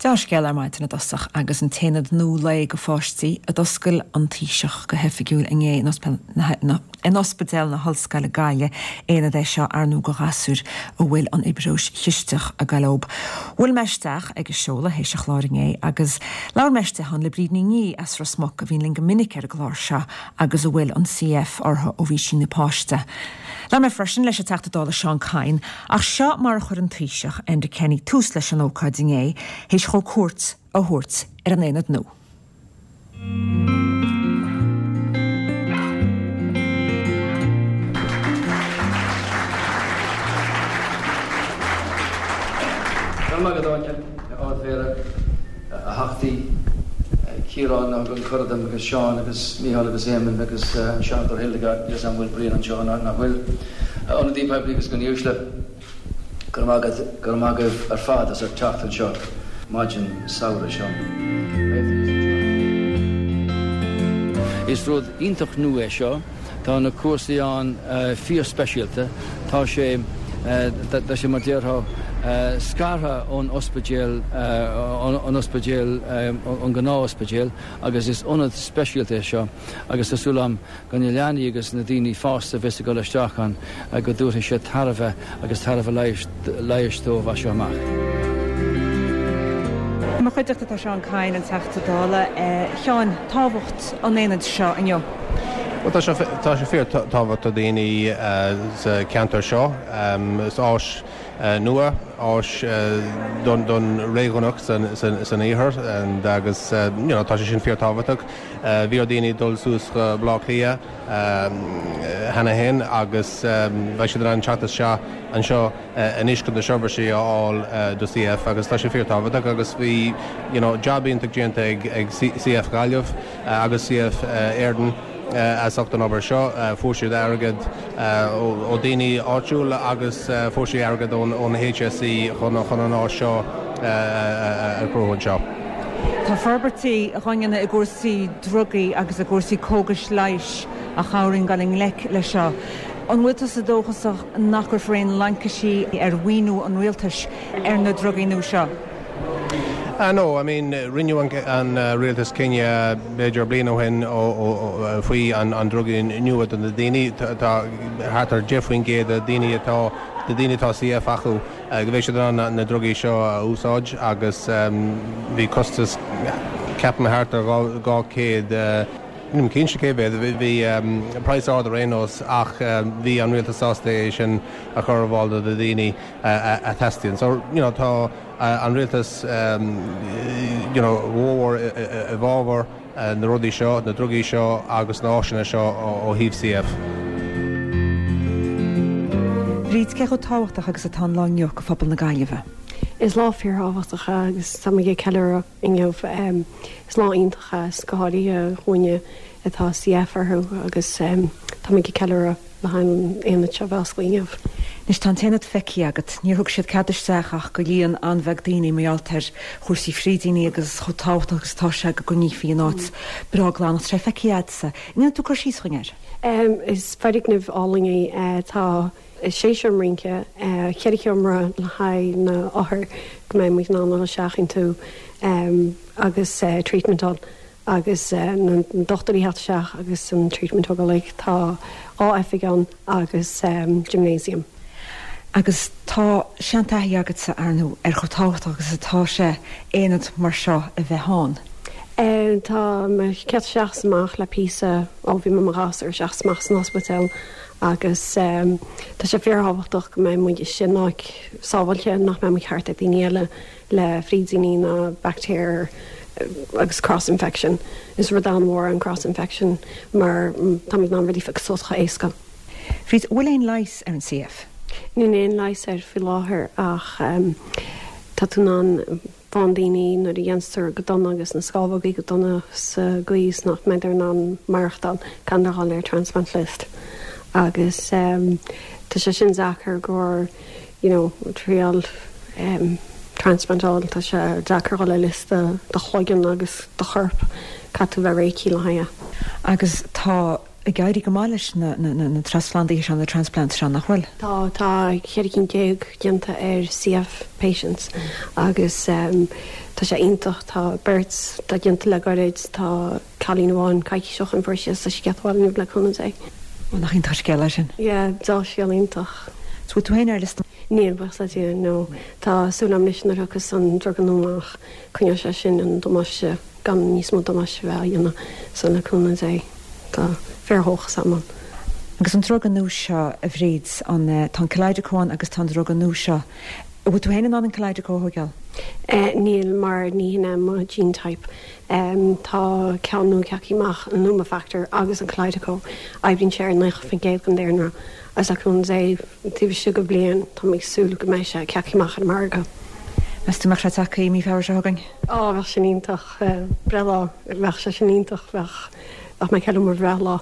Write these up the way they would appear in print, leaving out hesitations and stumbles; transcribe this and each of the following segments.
Dea-scéal ar maidin i dtosach agus an t-aonad nua lae do pháistí a d'oscail an Taoiseach go hoifigiúil inné in Ospidéal na hOllscoile Gaillimh, aonad é seo ar ndóigh do ghasúir a bhfuil an fhiobróis chisteach ag goil leob. Bhuail mé isteach ag an seoladh théis an chláir inné agus labhair mé istigh ann le Bríd Ní Niadh as Ros Muc a bhíonn linn go minic ar an gclár seo agus a bhfuil an CF uirthi ó bhí sí ina páiste. Labhair mé freisin leis an Teachta Dála Seán Kyne, ach seo mar a chuir an Taoiseach, Enda Kenny, tús leis an ócáid inné, théis dhó cuairt a thabhairt ar an aonad nua. Go raibh maith agat, Áine, a Ard-Mhéara, a Theachtaí, Ciarán a thug an cuireadh dom agus Seán agus Mícheál agus Éamonn agus an Seanadóir Hildegarde, níl 'fhios a'm an bhfuil Brian anseo nó nach bhfuil, a ionadaí poiblí agus mionuaisle, go raibh maith agat, go raibh maith agaibh ar fad as ucht teacht anseo maidin samhraidh seo. Is rud iontach nua é seo. Tá na cúrsaí ann fíor-speisialta. Tá sé, tá sé mar déarfá, scartha ón ospidéal, an ospidéal, an gnáth-ospidéal agus is ionad speisialta é seo agus tá súil agam go na leanaí agus na daoine fásta a bheas ag dul isteach ann go dtabharfaidh sé tairbhe agus tairbhe leighis dóibh as seo amach. I mo chuideachta tá Seán Kyne, an Teachta Dála. A Sheáin, tábhacht an aonaid seo inniu? Bhuel, tá sé, tá sé fíor tábhachtach do daoine sa cheantar seo. Is áis nua, áis don, don réigiúnach san, san, san iarthar agus you know, tá sé sin fíor tábhachtach. Bhí ar daoine dul suas go Baile Átha Cliath cheana féin agus beidh siad in ann teacht isteach anseo anois chun na seirbhísí a fháil do CF agus tá sé fíor tábhachtach agus bhí you know jab iontach déanta ag ag CF Ghaillimh agus CF Éireann as ucht an obair seo. Fuair siad airgead ó daoine áitiúil agus fuair siad airgead ón ón HSE chun chun an áis seo a chruthú anseo. Tá forbairtí á ndéanamh i gcúrsaí drugaí agus i gcúrsaí cógais leighis a chabhraíonn dul i ngleic leis seo. An bhfuil tusa dóchasach nach gcuirfear aon laincisí ar mhaoiniú an rialtais ar na drugaí nua seo? Ah no, I mean rinne an rialtas cinneadh b'fhéidir bliain ó shin faoi an drugaí nua do na daoine. Tá thart ar 10% de daoine atá de daoine atá CF acu go mbeidh siad in ann na drugaí seo a úsáid agus bhí costas ceapaim thart ar 200 Nílim cinnte cé mhéad, bhí praghas ard ar aon nós ach bhí an rialtas sásta é sin a chur ar fáil do na daoine a theastaíonn. So, you know, tá an rialtas, you know, mhór i bhfabhar na rudaí seo, na drugaí seo agus na áiseanna seo ó thaobh CF. Bríd, cé chomh tábhachtach agus atá an lá inniu do phobal na Gaillimhe? Is lá fíorthábhachtach é agus táimid ag ceiliúradh inniu. Is lá iontach é, go háirithe dhúinne atá CF orthu agus táimid ag ceiliúradh. le haghaidh an aonad seo a bheith oscailte inniu. Anois tá an t-aonad feicthe agat. Níor thug siad cead isteach ach go líon an-bheag daoine mar gheall ar chúrsaí frídíní agus chomh tábhachtach agus atá sé go gcoinnífí an áit breá glan. Tá sé feicthe agatsa. An ndéanfaidh tú cur síos dhúinn air? Is foirgneamh álainn é. Tá sé seomra rince, cheithre sheomra le haghaidh na othair go mbeidh muid in ann dul isteach iontu agus treatment ann. agus na dochtúirí theacht isteach agus an treatment a thógáil. Tá 2 oifig ann agus gymnasium. Agus tá seantaithí agatsa, ar ndóigh, ar chomh tábhachtach agus atá sé aonad mar seo a bheith ann. Tá mé ag teacht isteach is amach le píosa ó bhí mé i mo ghasúr isteach is amach san ospidéal agus tá sé fíorthábhachtach go mbeidh muid istigh in áit sábháilte, nach mbeidh muid thart ar daoine eile. le frídíní ná baictéir agus cross infection. Is rud an-mhór é an cross infection mar táimid in ann rudaí a phiocadh suas chomh éasca. Bríd, an bhfuil aon leigheas ar an CF? Níl aon leigheas air faoi láthair ach tá tú in ann faigheann daoine nuair a dhéantar go dona agus na scamhógaí go dona sa gcaoi is nach mbeidh in ann maireachtáil caithfidh dul ar transplant list agus tá sé sin deacair gur you know, triail transplant a fháil, tá sé deacair dhul ar liosta do chloigeann agus do chorp, caithfidh tú bheith réitithe le haghaidh é. Agus tá ag éirí go maith leis na na trasphlandaithe seo, na transplants seo, nach bhfuil? Tá, tá 14 cinn déanta ar CF patients agus tá. Tá sé iontach, tá beirt atá déanta le gairid, tá cailín amháin coicís ó shin fuair sí a soiscéal abhaile inniu le cúnamh Dé. Ó nach iontach an scéal é sin. Yeah, dea-scéal iontach. So bhfuil tú féin ar liosta? Níl, buíochas le Dia, no. Tá súil agam anois nuair a thiocfas an druga nua amach, coinneoidh sé sin an damáiste, gan níos mó damáiste a bheith á dhéanamh. So le cúnamh Dé, tá fíordhóchas agam ann. Agus an druga nua seo, a Bhríd, an, tá an Kalydeco ann agus tá an druga nua seo, an bhfuil tú féin in ann an Kalydeco a thóigeáil? Níl, mar ní hin é mo gene type. Tá ceann nua ceaptha amach, an Lumifactor agus an Kalydeco, oibríonn sé ar 90% den daonra agus le cúnamh Dé, taobh istigh de bhliain, tá mé ag súil go mbeidh sé ceaptha amach ar an margadh. Meas tú mbeadh sé tagtha i mí Feabhra seo chugainn? Á, bheadh sin iontach. Breithlá, bheadh sé sin iontach, bheadh, bheadh mé ag ceiliúradh mo bhreithlá.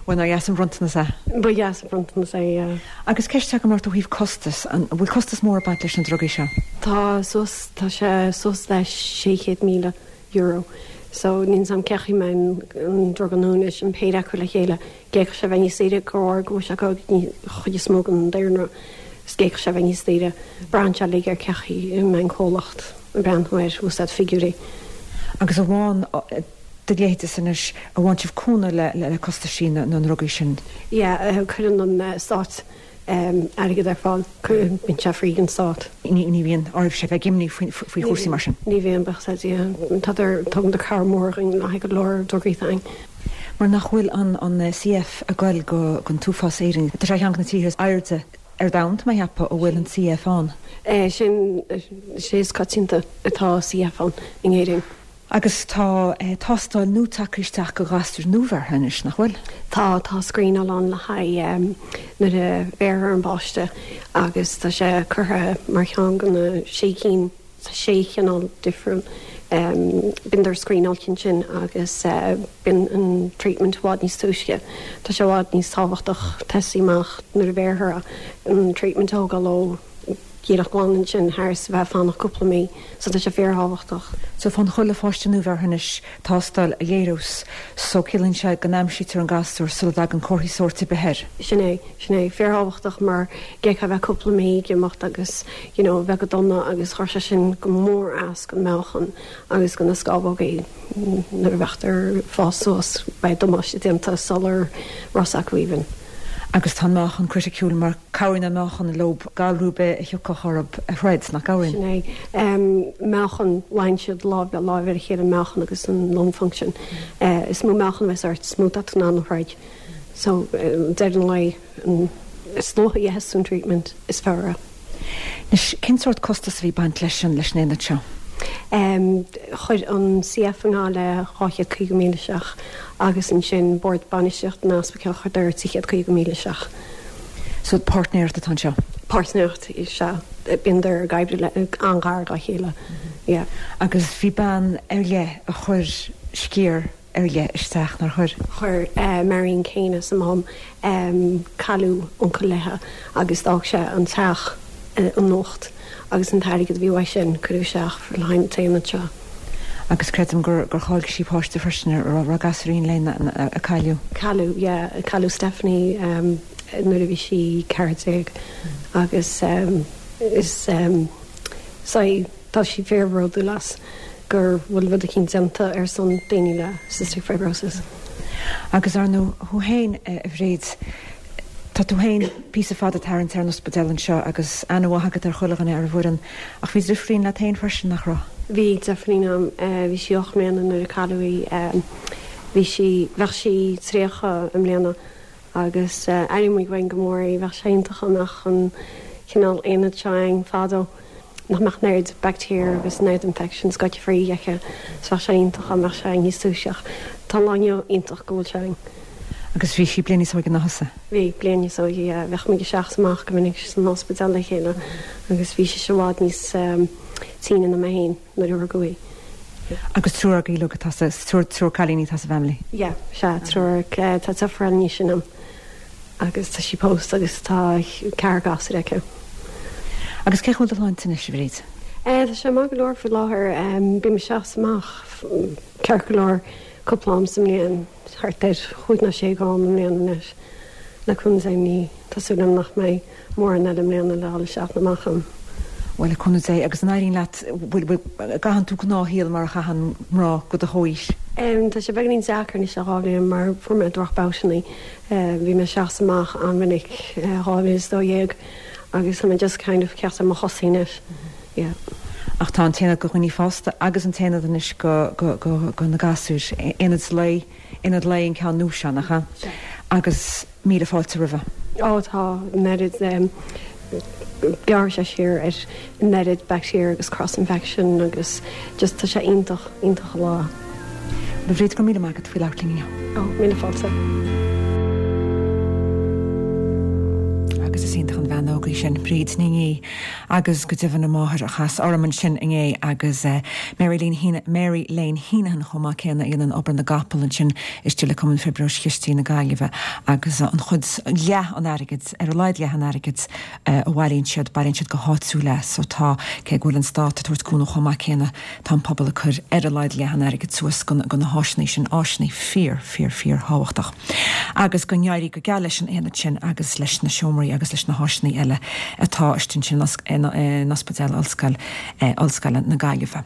Bhuel, nár dheas an bronntanas é? Ba dheas an bronntanas é, yeah. Agus ceist agam ort ó thaobh costas, an bhfuil costas mór ag baint leis na drugaí seo? Tá, suas, tá sé suas le €600,000. So, níl 's a'm cé chaoi mbeidh an druga nua anois, an péire acu le chéile, d'fhéadfadh sé a bheith níos saoire de bharr go bhfuil sé ag an chuid is mó den daonra, is d'fhéadfadh sé a bheith níos saoire. Braitheann sé uilig ar cé chaoi a mbeidh an comhlacht ag breathnú air, úsáid figiúirí. Agus a bhfághann do leithéidese anois, an bhfaigheann sibh cúnamh le costaisí na ndrugaí sin? Yeah, cuireann an stát airgead ar fáil, bíonn sé free ag an stát. Ní bhíonn oraibhse a bheith ag imní faoi chúrsaí mar sin? Ní bhíonn, buíochas le Dia. Tádar, tugann cabhair mhór dhúinn le haghaidh go leor drugaí atá againn. Mar nach bhfuil an CF ag goil go an t-uafás Éirinn, tá sé ar cheann de na tíortha is airde ar domhan, tá mé a cheapadh, a bhfuil an CF ann. Sin, sé is coitianta atá CF ann in Éirinn. Agus tá tástáil nua tagtha isteach do ghasúir nuabheirthe anois, nach bhfuil? Tá, tá screenáil ann le haghaidh nuair a bheirthear an páiste agus tá sé curtha mar cheann de na sé cinn, sé chineál difriúil. Bíonn screenáilte ansin agus bíonn an treatment i bhfad níos túisce. Tá sé i bhfad níos tábhachtach tosaí amach nuair a bheirthear é, an treatment a thógáil ó. díreach glan ansin thar is a bheith ag fanacht cúpla mí so tá sé fíorthábhachtach. So faigheann chuile pháiste nuabheirthe anois tástáil a léireos so ciallaíonn sé go n-aimsítear an gasúr sula dtagann comharthaí sóirt ar bith air. Sin é, sin é. Fíorthábhachtach mar d'fhéadfadh a bheith cúpla mí ag imeacht agus you know bheith go dona agus chuir sé sin go mór as don meáchan agus do na scamhógaí nuair a bheadh ag fás suas beidh damáiste déanta sular raibh 's acu even. Agus tá an meáchan criticiúil mar cabhraíonn an meáchan leo galrú ar bith a thiocfadh orthu a throid, nach gcabhraíonn? Sin é. Meáchan, luíonn siad lámh le láimh ar a chéile, an meáchan agus an lung function. Is mó meáchan a bheas ort, is mó atá tú in ann a throid. So, deireadh an lae, is luaithe a gheibheas tú an treatment, is fearr é. Anois, cén sórt costas a bhí ag baint leis an leis an aonad seo? Chuir an CF i nGaillimh 250,000 isteach agus ansin Bord Bainistíochta an Ospidéil chuireadar 350,000 isteach. So páirtnéireacht atá anseo? Páirtnéireacht, sea. Bíonn ag oibriú le an-ghar dá chéile, yeah. Agus bhí bean ar leith a chuir sciar ar leith isteach, nár chuir? Chuir. Marion Kane as an Mám. Cailleadh uncail léithe agus d'fhág sé an teach in uacht agus an t-airgead a bhí uaidh sin cuireadh isteach le haghaidh an t-aonad seo. Agus creidim gur gur chaill sí páiste freisin, a raibh gasúirín léi a cailleadh. Cailleadh, yeah. Cailleadh Stephanie nuair a bhí sí 14 agus is saghas, tá sí fíorbhródúil as. go bhfuil rud eicínt déanta ar son daoine le cystic fibrosis. Agus ar ndóigh, thú féin, a Bhríd, tá tú féin píosa fada ag tarraingt ar an ospidéal anseo agus aithne mhaith agat ar chuile dhuine ar an bhfoireann, ach bhí driofúirín leat féin freisin, nach raibh? Bhí deirfiúirín a'm, bhí sí 8 mbliana nuair a cailleadh í, bhí sí, bheadh sí 30 i mbliana Agus airíonn muid uainn go mór í. Bheadh sé iontach dá mbeadh an cineál aonad seo againn fadó, nach mbeadh an oiread bacteria agus an oiread infections goite fríd aici. So bheadh sé iontach dá mbeadh sé againn níos túisce ach tá an lá inniu iontach go bhfuil sé againn. Agus bhí sí bliain níos óige ná thusa? Bhí, bliain níos óige, yeah. Bheadh muid isteach is amach go minic san ospidéal le chéile agus bhí sise i bhfad níos tine ná mé féin. nuair a rugadh í. Agus triúr agaibh uilig atá sa, triúr, triúr cailíní atá sa bhfamily? Yeah, sea, triúr, tá deirfiúr eile níos sine ná mé agus tá sí pósta agus tá ceathrar gasúr aici. Agus cén chaoi a bhfuil do shláinte anois, a Bhríd? Eh, tá sé maith go leor faoi láthair, bím isteach is amach ceart go leor cúpla am sa mbliain, thart ar chúig nó sé am i mbliana anois, le cúnamh Dé ní, tá súil agam nach mbeidh mórán eile i mbliana le dhul isteach nó amach ann. Bhuel, le cúnamh Dé, agus an éiríonn leat, bhfuil, bhfuil, an gcaitheann tú gnáthshaol mar a chaitheann mná de do chomhaois? Tá sé beagáinín deacair anois le 2 bhliain mar fuair mé drochbabhtanna. Bhí mé ag seasamh amach an-mhinic 2012 agus tá mé just kind of ceacht ar mo chosaí anois. Yeah. Ach tá an t-aonad do dhaoine fásta agus an t-aonad anois go, go, go, go na gasúir, aonad lae, aonad lae an ceann nua seo, nach ea? Agus míle fáilte roimhe. Ó tá, an oiread, gearrfaidh sé siar ar an oiread bacteria agus cross infection agus just tá sé iontach, iontach an lá. A Bhríd, go raibh míle maith agat faoi labhairt linn inniu. Ó, míle fáilte. Agus is iontach an bhean óg í sin, Bríd Ní Niadh, agus go deimhin a máthair a chas orm ansin inné agus Mary Lane Mary Lane Heneghan chomh maith céanna a dhéanann obair na gcapall ansin istigh le Cumann Fiobróis Chistigh na Gaillimhe agus an chuid, leath an airgid, ar a laghad leath an airgid a bhailíonn siad, bailíonn siad go háitiúil é so tá, cé go bhfuil an stát ag tabhairt cúnamh chomh maith céanna, tá an pobal ag cur ar a laghad leath an airgid suas go na háiseanna sin, áiseanna fíor, fíor, fíor thábhachtach. Agus go n-éirí go geal leis an aonad sin agus leis na seomraí agus leis na háiseanna eile atá istigh ansin in Ospidéal Ollscoil, Ollscoile na Gaillimhe.